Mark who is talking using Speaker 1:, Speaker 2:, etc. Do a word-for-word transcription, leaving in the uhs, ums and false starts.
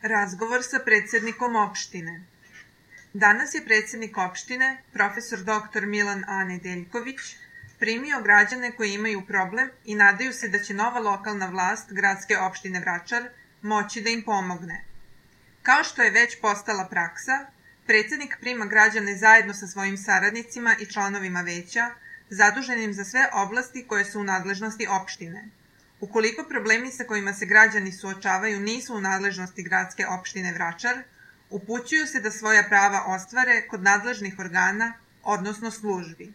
Speaker 1: Razgovor sa predsednikom opštine. Danas je predsednik opštine, profesor doktor Milan A. Nedeljković, primio građane koji imaju problem i nadaju se da će nova lokalna vlast gradske opštine Vračar moći da im pomogne. Kao što je već postala praksa, predsednik prima građane zajedno sa svojim saradnicima i članovima veća, zaduženim za sve oblasti koje su u nadležnosti opštine. Ukoliko problemi sa kojima se građani suočavaju nisu u nadležnosti gradske opštine Vračar, upućuju se da svoja prava ostvare kod nadležnih organa, odnosno službi.